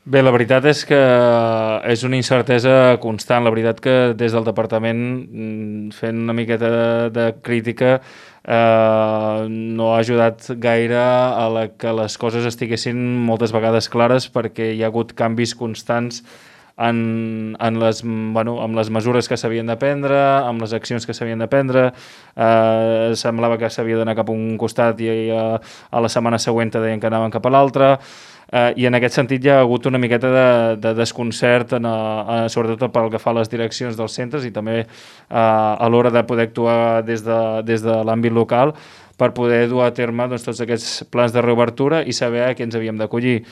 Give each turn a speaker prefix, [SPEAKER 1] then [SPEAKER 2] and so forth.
[SPEAKER 1] Bé, la veritat és que és una incertesa constant. La veritat que des del departament, fent una miqueta de crítica, no ha ajudat gaire a que les coses estiguessin moltes vegades clares, perquè hi ha hagut canvis constants amb les mesures que s'havien de prendre, amb les accions que s'havien de prendre. Semblava que s'havia d'anar cap a un costat i a la setmana següent deien que anaven cap a l'altre. I en aquest sentit hi ha hagut una miqueta de desconcert, sobretot pel que fa a les direccions dels centres i també a l'hora de poder actuar des de l'àmbit local per poder dur a terme tots aquests plans de reobertura i saber a què ens havíem d'acollir.